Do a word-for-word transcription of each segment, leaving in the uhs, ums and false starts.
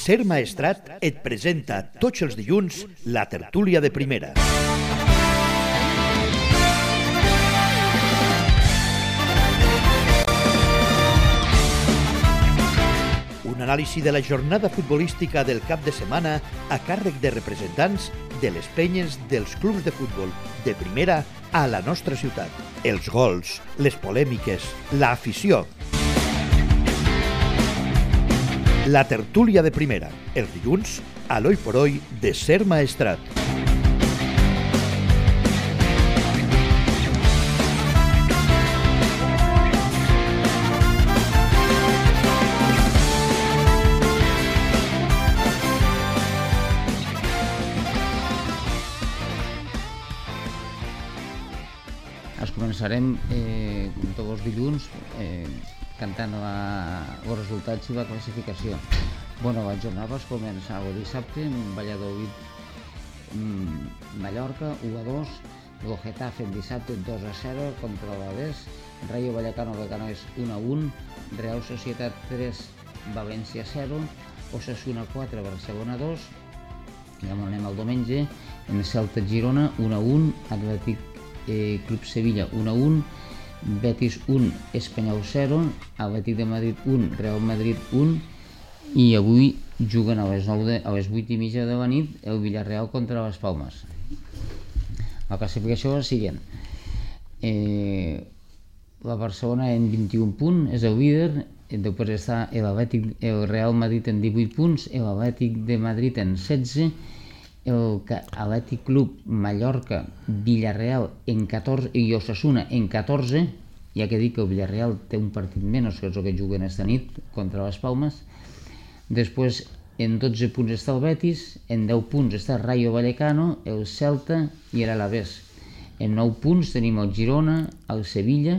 Ser Maestrat et presenta tots els dilluns la tertúlia de primera. Un anàlisi de la jornada futbolística del cap de setmana a càrrec de representants de les penyes dels clubs de futbol de primera a la nostra ciutat. Els gols, les polèmiques, l'afició. La tertúlia de primera, els dilluns, a l'Oi por Hoy de Ser Maestrat. Es començarem, eh, com tots els dilluns, eh, cantant la, els resultats i la classificació. Bueno, la jornada es comença el dissabte amb Valladolid mm, Mallorca u a dos, el Getafe en dissabte dos a zero contra l'Alavés, Rayo Vallecano Leganés un a un, Real Societat tres, València zero, Osasuna quatre, Barcelona dos, i ja anem al diumenge, en Celta Girona un a un, Atlètic eh, Club Sevilla un a un, Betis un, Espanyol zero, Atlètic de Madrid un, Real Madrid un, i avui juguen a les, nou de, a les vuit i mitja de la nit el Villarreal contra les Palmes. La classificació és la següent. Eh, la Barcelona en vint-i-un punts és el líder, després està l'Atlètic, el Real Madrid en divuit punts, l'Atlètic de Madrid en setze, el Atlètic Club Mallorca, Villarreal en catorze i Osasuna en catorze, ja que dic que el Villarreal té un partit menys, que és el que juguen esta nit contra les Palmes. Després en dotze punts està el Betis, en deu punts està el Rayo Vallecano, el Celta i l'Alavés. En nou punts tenim el Girona, el Sevilla,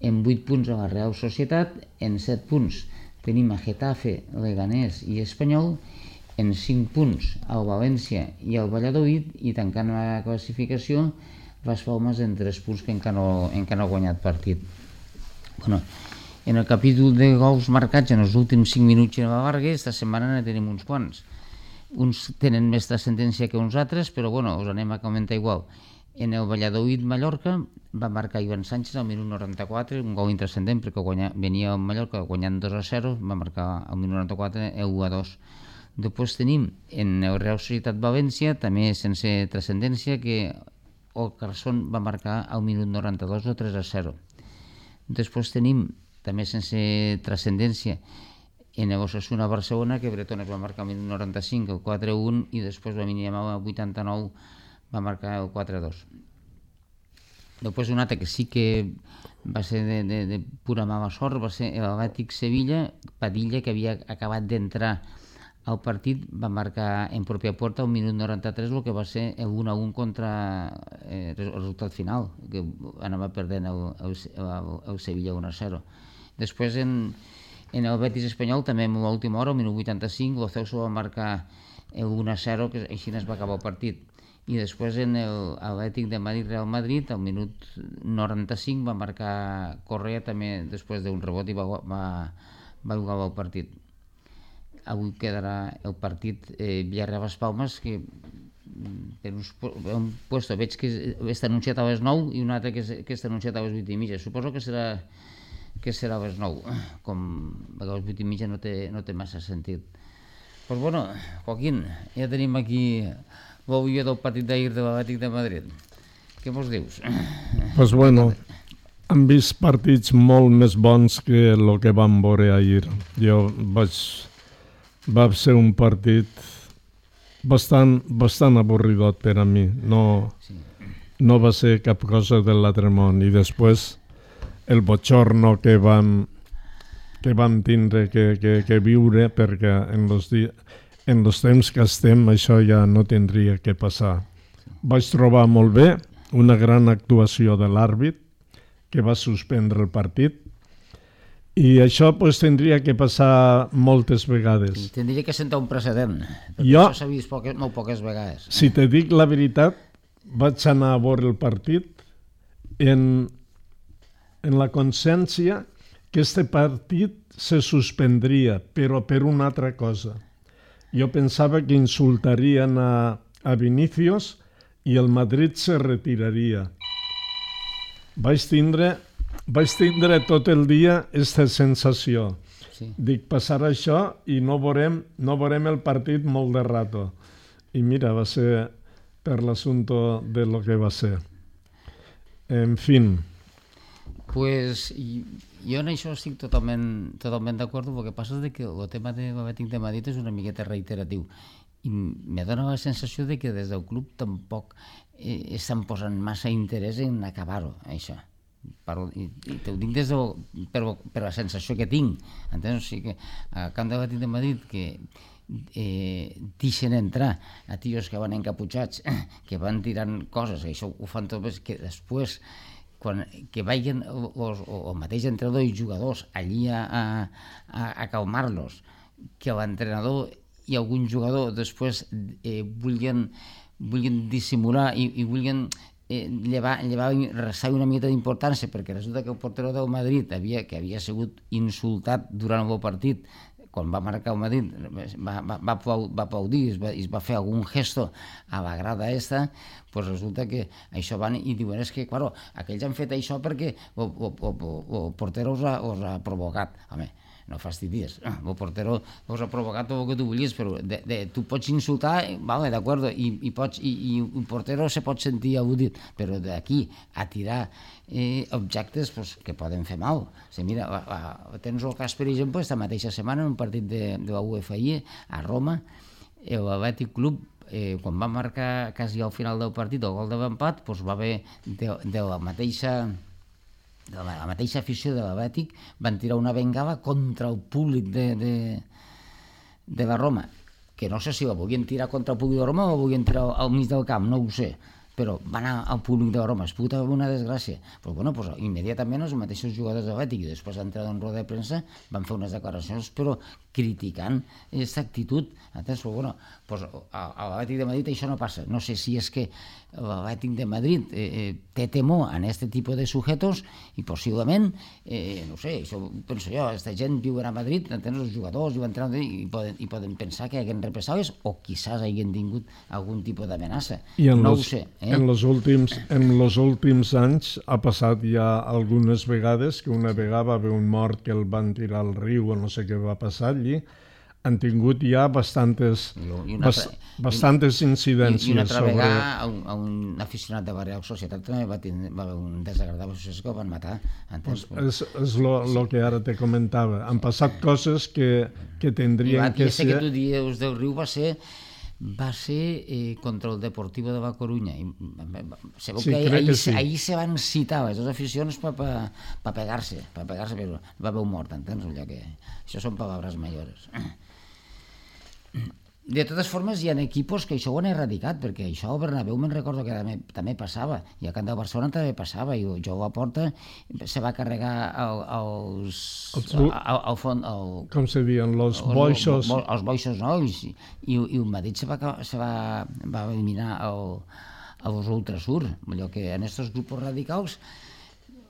en vuit punts a la Real Societat, en set punts tenim a Getafe, Leganés i Espanyol, en cinc punts al València i al Valladolid, i tancant la classificació les Palmes en tres punts que encara no, encara no ha guanyat partit. Bueno, en el capítol de gols marcats en els últims cinc minuts i a la llarga, esta setmana ne tenim uns quants. Uns tenen més transcendència que uns altres, però bueno, us anem a comentar igual. En el Valladolid-Mallorca va marcar Ivan Sánchez al minut noranta-quatre, un gol intrascendent perquè guanya, venia el Mallorca guanyant dos a zero, va marcar al minut noranta-quatre el u a dos. Després tenim en el Real Societat València, també sense transcendència, que el Carson va marcar al minut noranta-dos o tres a zero. Després tenim, també sense transcendència, en el Osasuna Barcelona, que Bretones va marcar al minut noranta-cinc el quatre a un, i després la mínima al vuitanta-nou va marcar el quatre a dos. Després un altre que sí que va ser de, de, de pura mala sort va ser l'Atlètic Sevilla, Padilla, que havia acabat d'entrar al partit, va marcar en pròpia porta al minut noranta-tres el que va ser el un a un contra eh, el resultat final, que anava perdent el, el, el, el Sevilla un a zero. Després en, en el Betis Espanyol, també en l'última hora, al minut vuitanta-cinc, el Celso va marcar el un a zero, que així es va acabar el partit. I després en l'Atlètic de Madrid-Real Madrid, al minut noranta-cinc, va marcar Correa també després d'un rebot i va, va, va jugar el partit. Avui quedarà el partit eh, Villarreal-Las Palmes, que per uns, un puesto veig que està anunciat a les nou i un altre que, que està anunciat a les vuit i mitja. Suposo que serà, que serà a les nou, com a les vuit i mitja no té, no té massa sentit. Pues bueno, Joaquín, ja tenim aquí l'audio del partit d'ahir de l'Atlètic de Madrid. Què mos dius? Pues bueno, hem vist partits molt més bons que el que vam veure ahir. Jo vaig... Va ser un partit bastant, bastant avorridot per a mi. No, no va ser cap cosa de l'altre món. I després el bochorno que vam, que vam tindre que, que, que viure, perquè en els, di- en els temps que estem això ja no tindria que passar. Vaig trobar molt bé una gran actuació de l'àrbit que va suspendre el partit. I això pues, tindria que passar moltes vegades. Tindria que sentar un precedent, perquè jo, això s'ha vist poques, molt poques vegades. Si te dic la veritat, vaig anar a veure el partit en, en la consciència que este partit se suspendria, però per una altra cosa. jo pensava que insultarien a, a Vinícius i el Madrid se retiraria. Vaig tindre, vaig tindre tot el dia aquesta sensació. Sí. Dic, passarà això i no veurem, no veurem el partit molt de rato. I mira, va ser per l'assumpte de lo que va ser. En fin. Pues i, jo en això estic totalment, totalment d'acord, el que passa és que el tema de l'Atlètic de Madrid és una miqueta reiteratiu i me dona la sensació de que des del club tampoc eh, estan posant massa interès en acabar-ho, això. Parlo, i, i te ho dic des del, per, per la sensació que tinc, entens? O sigui que a camp de l'Atlètic de Madrid que eh, deixen entrar a tios que van encaputxats, que van tirant coses, que això ho fan tot bé, que després quan, que vagin els, el mateix entrenador i jugadors allí a, a, a calmar-los, que l'entrenador i algun jugador després eh, vulguin, vulguin dissimular i, i vulguin eh, llevar, llevar restar una miqueta d'importància, perquè resulta que el portero del Madrid havia, que havia sigut insultat durant el partit, quan va marcar el Madrid va, va, va, va aplaudir i es va, es va fer algun gesto a la grada esta, pues resulta que això van i diuen és que, claro, aquells han fet això perquè el, el, el, el portero us ha, us ha provocat. Home, no fastidies, el portero us ha provocat tot el que tu vulguis, però de, de, tu pots insultar, vale, d'acord, i, i, pots, i, i un portero se pot sentir al·ludit, però d'aquí a tirar eh, objectes pues, que poden fer mal. O sigui, mira, la, la, tens el cas, per exemple, esta mateixa setmana en un partit de, de la U F I a Roma, l'Atlètic Club, eh, quan va marcar quasi al final del partit el gol de l'empat, pues, va haver de, de la mateixa de la mateixa afició de l'Atlètic van tirar una bengala contra el públic de, de, de la Roma, que no sé si la volien tirar contra el públic de Roma o la volien tirar al mig del camp, no ho sé, però van anar al públic de la Roma, es pot haver una desgràcia. Però bueno, pues, immediatament els mateixos jugadors de l'Atlètic i després d'entrar en roda de premsa van fer unes declaracions però criticant aquesta actitud. Entens? Però bueno, pues, a, a l'Atlètic de Madrid això no passa. No sé si és que l'Atlètic de Madrid eh, eh, té temor en aquest tipus de sujetos i possiblement, eh, no sé, això penso jo, aquesta gent viurà a Madrid, entens? Els jugadors i, i, poden, i poden pensar que hi haguen represàlies o quizás hagin tingut algun tipus d'amenaça. No los, ho sé. Eh? En els últims, en els últims anys ha passat ja algunes vegades que una vegada va haver un mort que el van tirar al riu o no sé què va passar allí. Han tingut ja bastantes, bas, bastantes incidències. I, i una altra sobre... vegada a un, a un aficionat de la Real Societat també va tenir va haver un desagradable succés que el van matar. Pues és és lo, lo que ara te comentava. Han passat coses que, que tindrien I va, que i ser... I que tu dius del riu va ser va ser eh, contra el Deportivo de la Coruña. I, sabeu sí, que, ahir, que ahir, sí. ahir se van citar les dues aficions per pa, pa pegar-se, per pegar-se, però va haver un mort, entens? Allò que... Això són paraules mayores. De totes formes, hi ha equipos que això ho han erradicat, perquè això al Bernabéu me'n recordo que també, també passava, i al Camp de Barcelona també passava, i el Joao Laporta se va carregar el, els... Els, el, el, el fons... El, com se diuen, els boixos... Els, els boixos nois, i, i el Madrid se va, se va, va eliminar el, els Ultrasur, allò que en aquests grupos radicals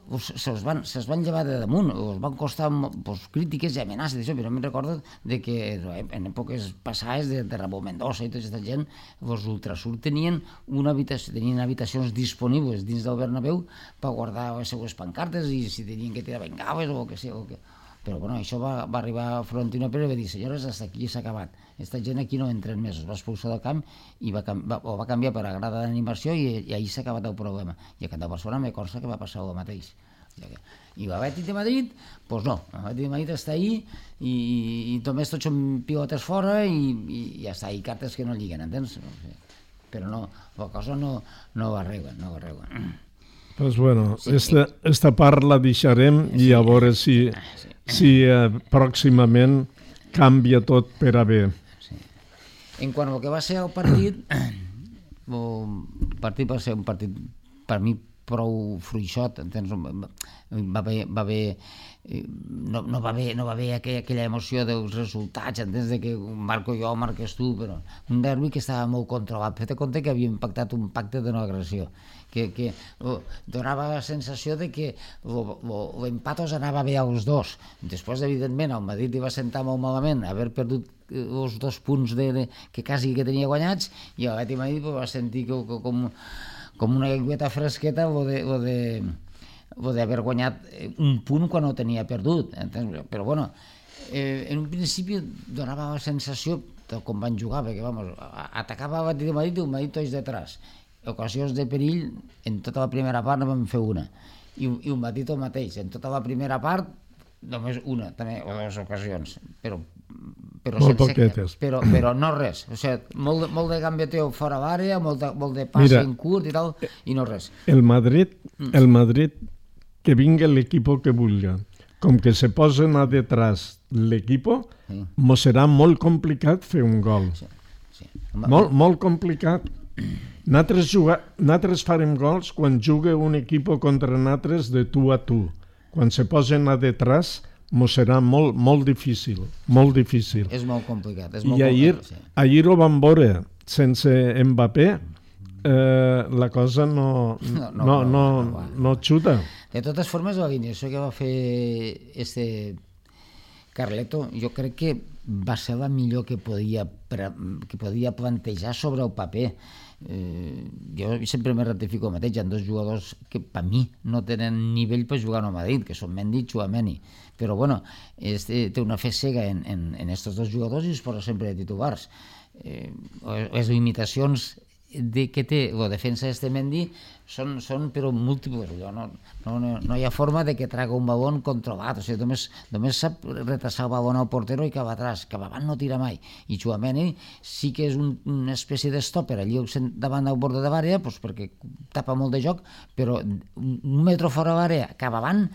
se'ls van, se van llevar de damunt, els van costar pues, crítiques i amenaces d'això, però me'n recordo de que en èpoques passades de, de Ramon Mendoza i tota aquesta gent, els Ultrasur tenien, una habitació, tenien habitacions disponibles dins del Bernabéu per guardar les seues pancartes i si tenien que tirar bengales o el que sigui. O que... Però bueno, això va, va arribar a Florentino Pérez i va dir, senyores, hasta aquí s'ha acabat. Aquesta gent aquí no entren més, es va expulsar del camp i va, va, o va canviar per a grada d'animació i, i ahir s'ha acabat el problema. I a Camp de Barcelona me consta que va passar el mateix. I l'Atlètic de Madrid, doncs pues no, l'Atlètic de Madrid està ahí i, i només tots són pilotes fora i, i ja està, i cartes que no lliguen, entens? Però no, la cosa no, no va arreglar, no va arreglar. Pues bueno, sí, esta, sí. esta part la deixarem sí. I a veure si, sí. si eh, pròximament canvia tot per a bé. Sí. En quant al que va ser el partit, el partit va ser un partit per mi prou fruixot, entens? Va haver, va haver, no, no va haver, no va haver aquella, aquella emoció dels resultats, entens? De que marco jo, marques tu, però un derbi que estava molt controlat. Fet compte que havia impactat un pacte de no agressió, que, que oh, donava la sensació de que l'empat us anava bé als dos. Després, evidentment, el Madrid li va sentar molt malament haver perdut els dos punts de, de, que quasi que tenia guanyats, i el Atlètic Madrid va sentir que, que, com, com una aigüeta fresqueta lo de, lo de, lo d'haver guanyat un punt quan ho tenia perdut. Entens? Però bueno, eh, en un principi donava la sensació de com van jugar, perquè vamos, atacava l'Atlètic Madrid i el Madrid tots detrás. Ocasions de perill, en tota la primera part no vam fer una, i, i un Madrid el mateix, en tota la primera part només una, també, o dues ocasions, però, però, molt sense, poquetes. però, però no res, o sigui, molt, de, molt de gambeteo fora l'àrea, molt de, molt de pas en curt i tal, i no res. El Madrid, el Madrid, que vinga l'equipo que vulga, com que se posen a detrás l'equipo, sí. Mos serà molt complicat fer un gol. Sí, sí. Molt, molt complicat. Nosaltres, juga, nosaltres farem gols quan juga un equip contra nosaltres de tu a tu. Quan se posen a detrás, mos serà molt, molt difícil, molt difícil. És molt complicat. És molt I ahir, complicat, sí. ahir ho vam veure, sense Mbappé, eh, la cosa no, no, no, no, no, no, no, no xuta. De totes formes, l'alineació que va fer este Carleto, jo crec que va ser la millor que podia, que podia plantejar sobre el paper. Eh, jo sempre me ratifico el mateix, hi ha dos jugadors que per mi no tenen nivell per jugar al Madrid, que són Mendy i Tchouaméni, però bueno, este, té una fe cega en, en, en estos dos jugadors i es posa sempre de titulars. Eh, les limitacions de que té la defensa d'este Mendy són, són però múltiples. No, no, no hi ha forma de que traga un balón controlat, o sigui, només, només sap retrasar el balón al portero i cap atrás, cap avant no tira mai. I Tchouaméni sí que és un, una espècie d'estòper allí davant del borde de l'àrea, doncs perquè tapa molt de joc, però un metre fora l'àrea, cap avant,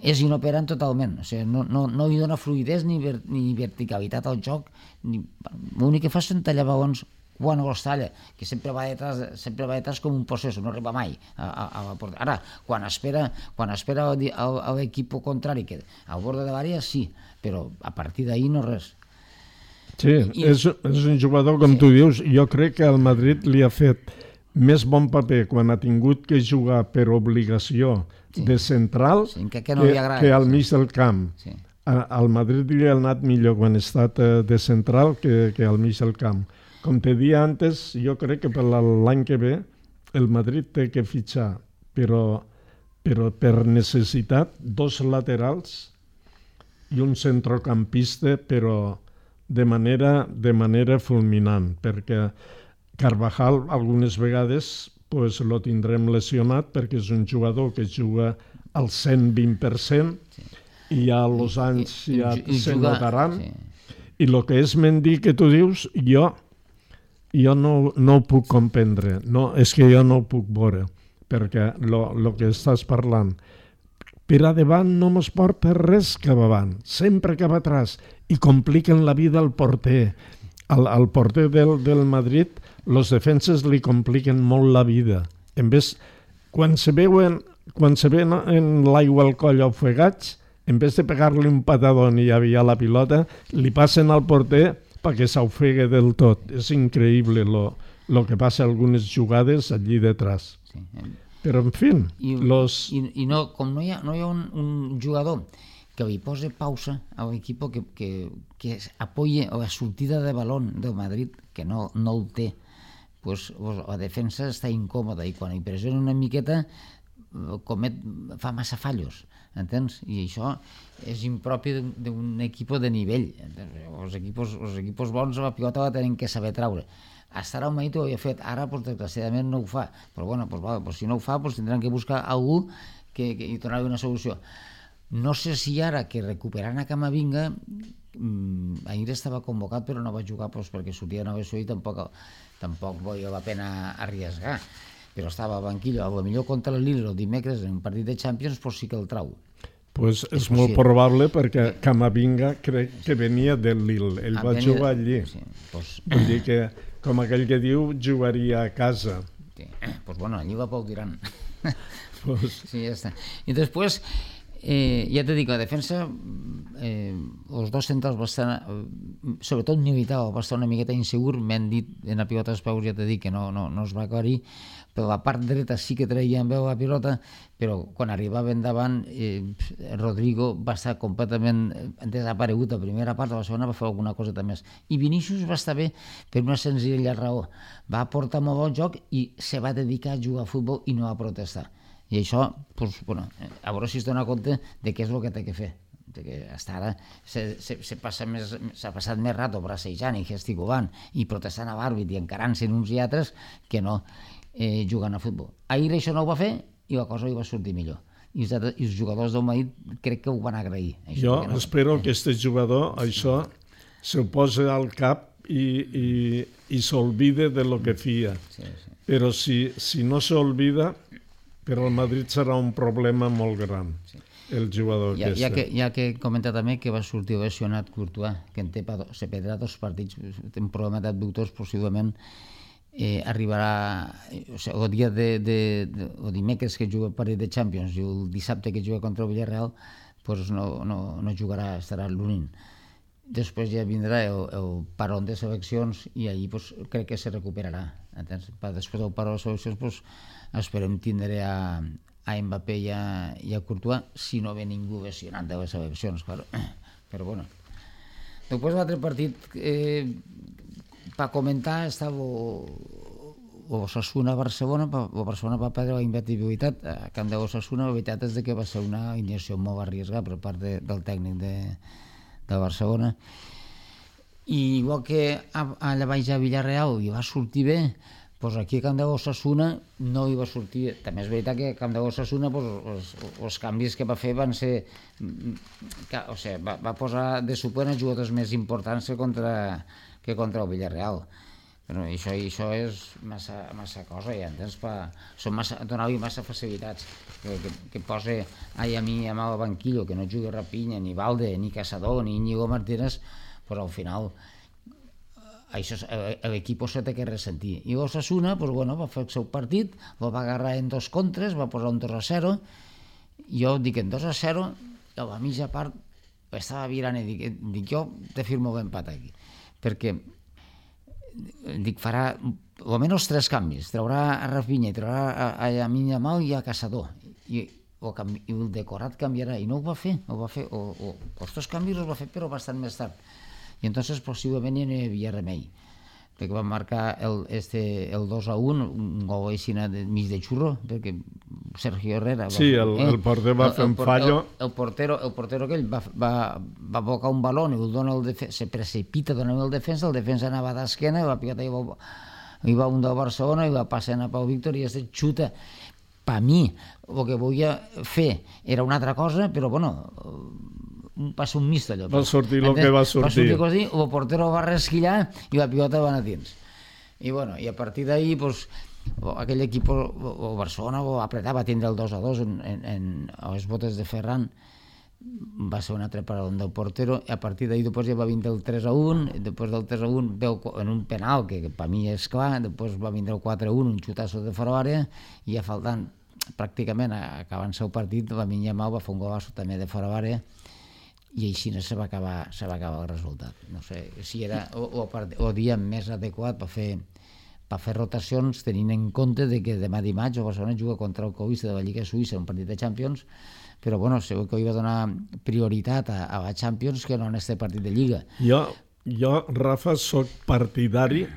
és inoperant totalment, o sigui, no, no, no hi dona fluidesa ni, ver, ni verticalitat al joc, ni... l'únic que fa són tallar balons quan els talla, que sempre va detrás, sempre va detrás com un possessor, no arriba mai a, a, a la porta. Ara, quan espera, quan espera l'equip contrari, que al borde de l'àrea sí, però a partir d'ahir no res. Sí, I... és, és un jugador, com sí. Tu dius, jo crec que el Madrid li ha fet més bon paper quan ha tingut que jugar per obligació sí. de central sí, que, que, no que, agrada, que al sí. mig del camp. Sí. A, al Madrid li ha anat millor quan ha estat de central que, que al mig del camp. Com te dia antes, jo crec que per l'any que ve el Madrid té que fitxar, però, però per necessitat, dos laterals i un centrocampista, però de manera, de manera fulminant, perquè Carvajal algunes vegades pues, lo tindrem lesionat perquè és un jugador que juga al cent vint per cent sí. i ja als anys I, ja i, i se juga, notaran. Sí. I el que és Mendy que tu dius, jo jo no, no ho puc comprendre, no, és que jo no ho puc veure, perquè el que estàs parlant, per a davant no mos porta res cap avant, sempre cap atrás, i compliquen la vida al porter. Al, al porter del, del Madrid, els defenses li compliquen molt la vida. En vez, quan se veuen, quan se ven en l'aigua al coll ofegats, en vez de pegar-li un patadón i aviar la pilota, li passen al porter perquè s'ofegue del tot. És increïble el que passa a algunes jugades allí detrás. Sí. Però, en fi... I, los... i, i no, com no hi ha, no hi ha un, un jugador que li posi pausa a l'equip que, que, que apoye la sortida de balón del Madrid, que no, no el té, pues, pues, la defensa està incòmoda i quan hi pressiona una miqueta comet, fa massa fallos, entens? I això és impropi d'un equip de nivell. Els equips, els equips bons la pilota la tenen que saber traure. Hasta ara el Madrid ho havia fet, ara pues, desgraciadament no ho fa, però bueno, pues, va, pues, si no ho fa pues, tindran que buscar algú que, que hi donar una solució. No sé si ara que recuperaran a Camavinga, mmm, ahir estava convocat però no va jugar pues, perquè sortia de Nova Suï i tampoc, tampoc valia la pena arriesgar, però estava al banquillo, a lo millor contra el Lille el dimecres en un partit de Champions pues, sí que el trau. Pues és, és molt probable perquè Camavinga crec que venia del Lille, ell ah, va venia... jugar allí. Sí, pues... Vull dir que, com aquell que diu, jugaria a casa. Sí. Pues bueno, allí va pel tirant. Pues... Sí, ja està. I després, eh, ja te dic, la defensa, eh, els dos centrals bastant, eh, sobretot Militao, va estar una miqueta insegur, m'han dit en la pilota dels peus, ja te dic que no, no, no es va aclarir, però la part dreta sí que traia en veu la pilota, però quan arribava endavant, eh, Rodrigo va estar completament desaparegut a primera part, a la segona va fer alguna coseta més. I Vinícius va estar bé per una senzilla raó. Va aportar molt bon joc i se va dedicar a jugar a futbol i no a protestar. I això, doncs, bueno, a veure si es dona compte de què és el que té que fer. De que hasta ara s'ha passat més rato bracejant i gesticulant i protestant a l'àrbit i encarant-se en uns i altres que no eh, jugant a futbol. Ahir això no ho va fer i la cosa hi va sortir millor. I els, i els jugadors del Madrid crec que ho van agrair. Això, jo no... espero que este jugador això s'ho posa al cap i, i, i s'olvide de lo que fia. Sí, sí. Però si, si no s'olvida, per al Madrid serà un problema molt gran, sí. El jugador ja, que ja, que, ja que he comentat també que va sortir lesionat Courtois, que en té, se perdrà dos partits, té un problema d'abductors, possiblement eh, arribarà o sigui, el dia de, de, de o dimecres que juga el partit de Champions i el dissabte que juga contra el Villarreal, pues no, no, no jugarà, estarà l'únic. Després ja vindrà el, el parón de seleccions i ahir pues, crec que se recuperarà. Entens? Després del parón de seleccions pues, esperem tindre a, a Mbappé i a, i a Courtois, si no ve ningú lesionat de les seleccions, claro. Però bueno. Després l'altre partit eh, per comentar estava o Osasuna-Barcelona, o Barcelona va perdre la invencibilitat a camp de Osasuna. La veritat és que va ser una iniciació molt arriesgada per part de, del tècnic de de Barcelona, i igual que allà baix a Villarreal hi va sortir bé, doncs aquí a Camp de Osasuna no hi va sortir. També és veritat que a Camp de Osasuna doncs, els, els canvis que va fer van ser que, o sigui, va, va posar de suplent jugadors més importants que contra, que contra el Villarreal. Però això, això és massa, massa cosa, ja entens? Pa, són massa, donar-li massa facilitats. Que, que, que posa a mi amb el banquillo, que no jugui Rapinya, ni Valde, ni Caçador, ni Íñigo Martínez, però al final l'equip se té que ressentir. I Osasuna pues, bueno, va fer el seu partit, el va agarrar en dos contres, va posar un dos a zero, jo dic en dos a zero, a la mitja part estava virant i dic, dic jo te firmo l'empat aquí, perquè dic, farà almenys tres canvis, traurà a Rafinha i traurà a, a Lamine Yamal i a Caçador, i, o canvi, i el decorat canviarà, i no ho va fer, ho va fer o, o, els dos canvis els va fer però bastant més tard, i entonces possiblement ja no hi havia remei, perquè va marcar el, este, el dos a un, un gol així de mig de xurro, perquè Sergio Herrera... Sí, el, eh, el porter va fer un fallo. El, el, portero, el portero aquell va, va, va bocar un balón i el dona el defensa, se precipita, dona el defensa, el defensa anava d'esquena, i la pilota hi va, hi va un del Barcelona, i va passar a Pau Víctor, i este xuta. Per mi, el que volia fer era una altra cosa, però bueno, va ser un mist allò. Va sortir el que va sortir. Va sortir cosí, el portero va resquillar i la pilota va anar dins. I bueno, i a partir d'ahir, pues, aquell equip, o Barcelona, o apretar, va tindre el dos a dos en, en, en, a les botes de Ferran, va ser un altre paradón del portero, i a partir d'ahir després ja va vindre el tres a un, després del tres a un veu en un penal, que, que per mi és clar, després va vindre el quatre a un, un xutasso de fora d'àrea, i ja faltant pràcticament acabant-se el partit, Lamine Yamal va fer un golasso també de fora d'àrea, i així no se va acabar, se va acabar el resultat. No sé si era el dia més adequat per fer, per fer rotacions, tenint en compte de que demà dimarts el Barcelona juga contra el Coista de la Lliga Suïssa, un partit de Champions, però bueno, segur que hi va donar prioritat a, a la Champions que no en este partit de Lliga. Jo, jo Rafa, soc partidari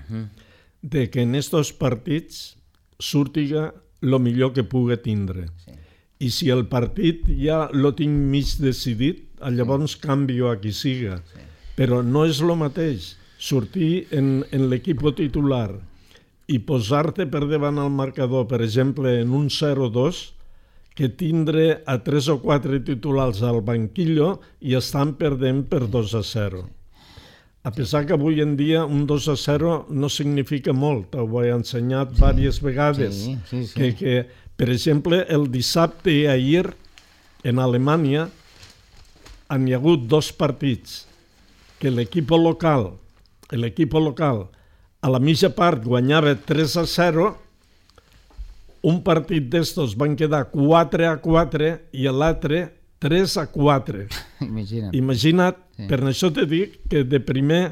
de que en estos partits surtiga el millor que pugui tindre. Sí. I si el partit ja lo tinc mig decidit, llavors sí. Canvio a qui siga. Sí. Però no és el mateix sortir en, en l'equip titular i posar-te per davant al marcador, per exemple, en un zero dos, que tindre a tres o quatre titulars al banquillo i estan perdent per dos a zero. A pesar que avui en dia un dos a zero no significa molt, t'ho he ensenyat sí. diverses vegades, sí, sí, sí. Que, que, per exemple, el dissabte i ahir en Alemanya han hi hagut dos partits que l'equip local, l'equip local a la mitja part guanyava tres a zero un partit d'estos van quedar quatre a quatre i l'altre tres a quatre. Imagina't. Imagina't, sí. Per això te dic que de primer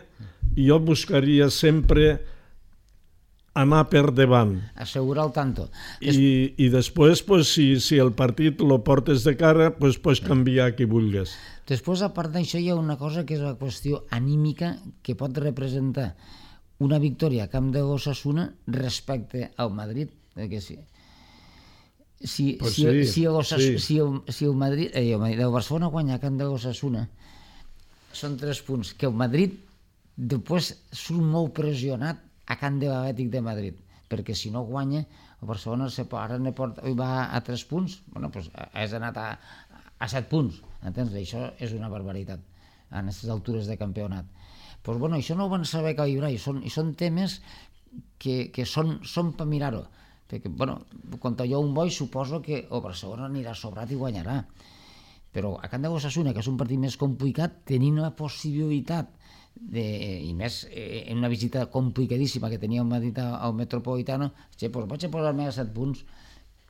jo buscaria sempre anar per davant. Assegurar el tanto. I, i després, pues, si, si el partit lo portes de cara, pues, pots canviar qui vulguis. Després, a part d'això, hi ha una cosa que és la qüestió anímica que pot representar una victòria a camp de Osasuna respecte al Madrid. Que sí. Si, pues si, sí, si, el Osas, sí. si, el, si el Madrid, eh, el Barcelona guanya a camp de Osasuna, són tres punts, que el Madrid després surt molt pressionat a camp de l'Atlètic de Madrid, perquè si no guanya, el Barcelona ara ne porta, va a tres punts, bueno, doncs has anat a, a set punts, entens? Això és una barbaritat a aquestes altures de campionat. Pues, bueno, això no ho van saber calibrar, i són, i són temes que, que són, són per mirar-ho. Perquè, bueno, contra jo un boi suposo que el Barcelona anirà sobrat i guanyarà. Però a camp de Osasuna, que és un partit més complicat, tenint la possibilitat, de, i més eh, en una visita complicadíssima que tenia el Madrid al Metropolitano, sí, doncs vaig a posar-me a set punts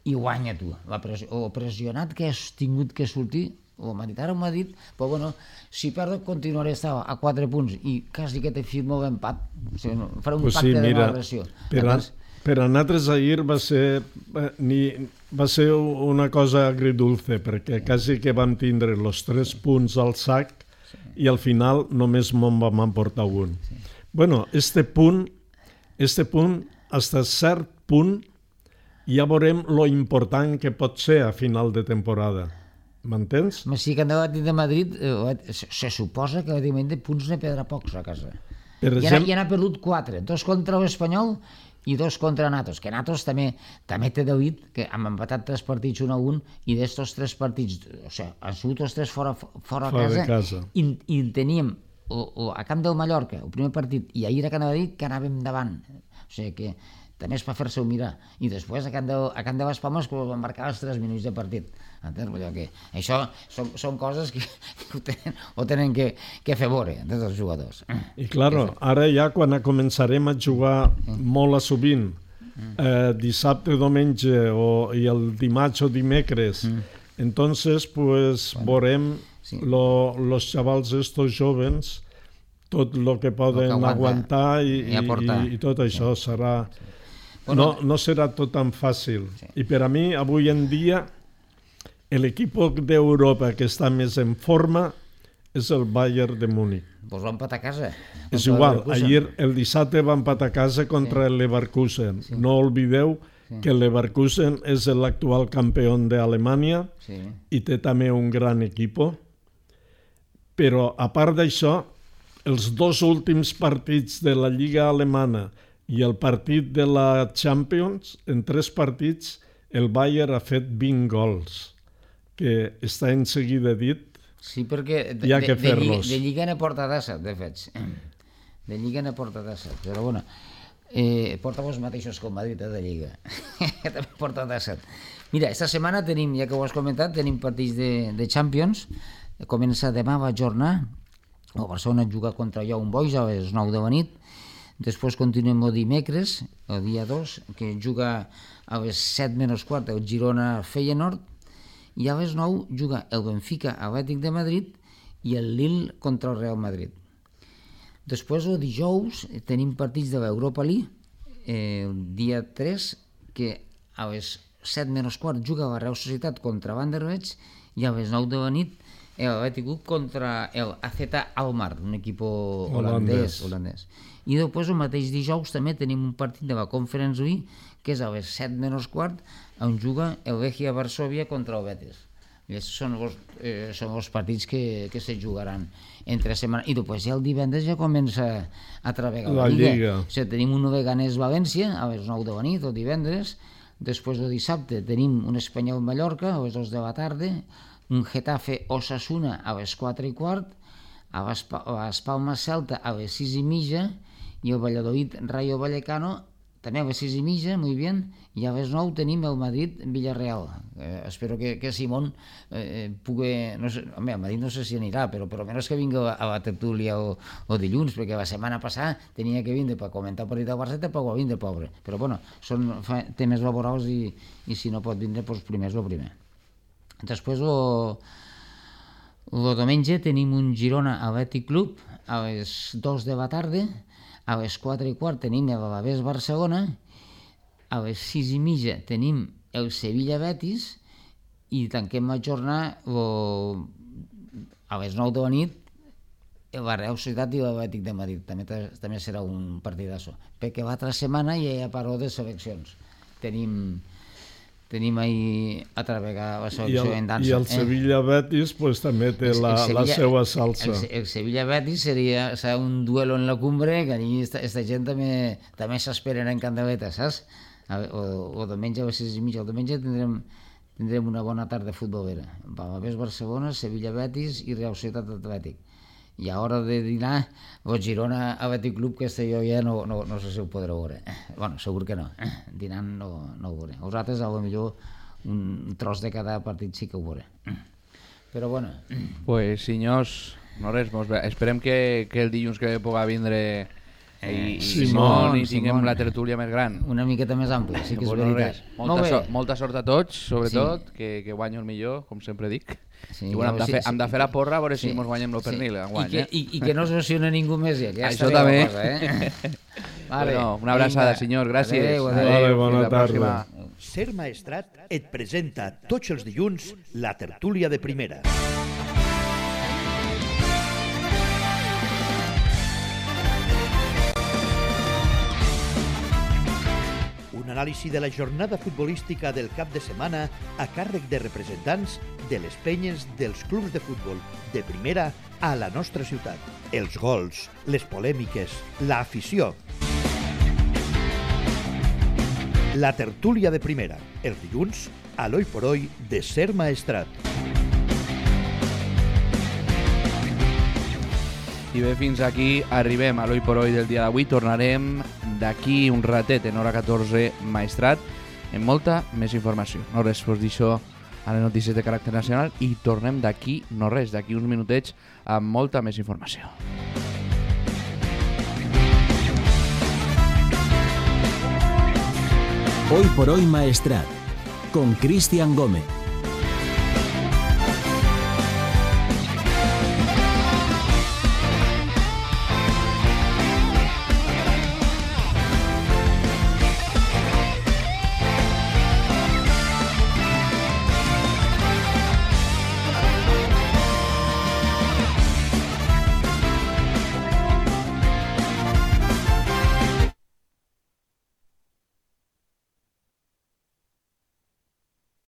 i guanya tu. La pressió, o pressionat que has tingut que sortir, o Madrid, ara m'ha dit, però bueno, si perdo continuaré a estar a quatre punts i quasi que te firmo l'empat. O sigui, faré un pues pacte sí, de mira, malversió. Per, a, per a nosaltres ahir va ser, ni, va ser una cosa agridulce, perquè quasi que vam tindre els tres punts al sac i al final només me'n vam emportar un. Sí. Bueno, este punt, este punt, hasta cert punt, ja veurem lo important que pot ser a final de temporada. M'entens? Sí, que l'Atlètic de Madrid eh, se suposa que l'Atlètic de punts ne perdrà pocs a casa. Per I exemple... n'ha perdut quatre, dos contra l'Espanyol i dos contra Natos, que Natos també també té David, que hem empatat tres partits un a un, i d'estos tres partits, o sigui, han sigut els tres fora, fora, fora casa, casa. I, i teníem o, o a camp del Mallorca, el primer partit, i ahir a Camp de Madrid, que anàvem davant. O sigui que també és per fer-se-ho mirar. I després a Camp de, a Camp de les Palmes que van marcar els tres minuts de partit. Entens? Que això són, són coses que, que ho tenen, ho tenen que, que fer veure entre els jugadors. I claro, ara ja quan començarem a jugar molt a sovint, eh, dissabte, diumenge o, i el dimarts o dimecres, entonces pues bueno, veurem sí. lo, los xavals estos jóvens tot el que poden lo que aguantar i, i, i, i tot això sí. serà... Sí. Bueno, no, no serà tot tan fàcil. Sí. I per a mi, avui en dia, l'equip d'Europa que està més en forma és el Bayern de Múnich. Doncs va empatar a casa. És igual, ahir el dissabte va empatar a casa contra sí. el Leverkusen. Sí. No oblideu sí. que el Leverkusen és l'actual campió d'Alemanya sí. i té també un gran equip. Però a part d'això, els dos últims partits de la Lliga Alemana i el partit de la Champions, en tres partits, el Bayern ha fet vint gols, que està en seguida dit, sí, perquè de, hi ha que de, fer-los. De, de Lliga n'ha portat disset, de fet. De Lliga n'ha portat disset, però bueno, eh, porta els mateixos que el Madrid de Lliga. També porta disset. Mira, esta setmana tenim, ja que ho has comentat, tenim partits de, de Champions. Comença demà, va jornar. El Barcelona juga contra Young Boys a les nou de la nit. Després continuem el dimecres, el dia dos, que juga a les set menys quart el Girona Feyenoord, i a les nou juga el Benfica Atlètic de Madrid i el Lille contra el Real Madrid. Després, el dijous, tenim partits de l'Europa League, el dia tres, que a les set menys quart juga la Real Societat contra Vanderlecht i a les nou de la nit l'Atlètic Club contra el A Z Alkmaar, un equip holandès. holandès. I després, el mateix dijous, també tenim un partit de la Conference League, que és a les set menys quart, on juga el Legia Varsovia contra el Betis. Aquests són els, eh, són els partits que, que se jugaran entre setmana. I després ja el divendres ja comença a travegar la, la Lliga. Lliga. O sigui, tenim un Leganés-València a les nou de la nit, el divendres. Després, el dissabte, tenim un Espanyol-Mallorca a les dos de la tarda, un Getafe-Osasuna a les quatre i quart, a les Palmes Celta a les sis i mitja i el Valladolid Rayo Vallecano també a les sis i mitja, muy bien, i a les nou tenim el Madrid-Villarreal. Eh, espero que, que Simón eh, pugui... No sé, home, el Madrid no sé si anirà, però per almenys que vingui a la tertúlia o, o dilluns, perquè la setmana passada tenia que vindre per comentar el partit del Barça, tampoc va vindre, pobre. Però bueno, són fa, temes laborals i, i si no pot vindre, doncs primer és el primer. Després, el diumenge tenim un Girona Atlètic Club a les dos de la tarda, a les quatre i quart tenim el Alavés Barcelona, a les sis i mitja tenim el Sevilla Betis i tanquem la jornada o, a les nou de la nit la Real Societat i l'Atlètic de Madrid. També, també serà un partidasso, perquè l'altra setmana ja hi ha paró de seleccions. Tenim... Tenim ahir altra vegada la selecció en dansa. I el Sevilla Betis pues, també té la, Sevilla, la seva salsa. El, el Sevilla Betis seria serà un duelo en la cumbre que allí esta, esta gent també, també s'esperen en candeleta, saps? O, o diumenge a les sis i mitja. El diumenge tindrem, tindrem una bona tarda futbolera. Alavés Barcelona, Sevilla Betis i Real Societat Atlètic. I a hora de dinar, el Girona Atlètic Club, que este jo ja no, no, no sé si ho podreu veure. Bueno, segur que no. Dinant no, no ho veuré. Vosaltres, a lo millor, un tros de cada partit sí que ho veuré. Però bueno. Pues, senyors, no res, mos ve. Esperem que, que el dilluns que pugui vindre i, i Simón i tinguem Simón, la tertúlia més gran. Una miqueta més àmplia, sí que és pues veritat. No molta, so, molta sort a tots, sobretot, sí. que, que guanyo el millor, com sempre dic. Sí, I bueno, hem, de fer, sí, hem de fer la porra a veure si sí, ens guanyem el pernil. Sí. Enguany, I, que, eh? i, I que no es lesiona ningú més ja, que ja això també. Cosa, eh? Vale, bueno, una abraçada, vinga. Senyor, gràcies. Adéu, adéu. Vale, bona tarda. Ser Maestrat et presenta tots els dilluns la tertúlia de primera. Un anàlisi de la jornada futbolística del cap de setmana a càrrec de representants de les penyes dels clubs de futbol de primera a la nostra ciutat. Els gols, les polèmiques, la afició. La tertúlia de primera, els dilluns, a l'Hoy por Hoy de Ser Maestrat. I bé, fins aquí arribem a l'Hoy por Hoy del dia d'avui. Tornarem d'aquí un ratet en hora catorze Maestrat amb molta més informació. No res, us deixo a les notícies de caràcter nacional i tornem d'aquí, no res, d'aquí uns minutets amb molta més informació. Hoy por Hoy Maestrat, con Cristian Gómez.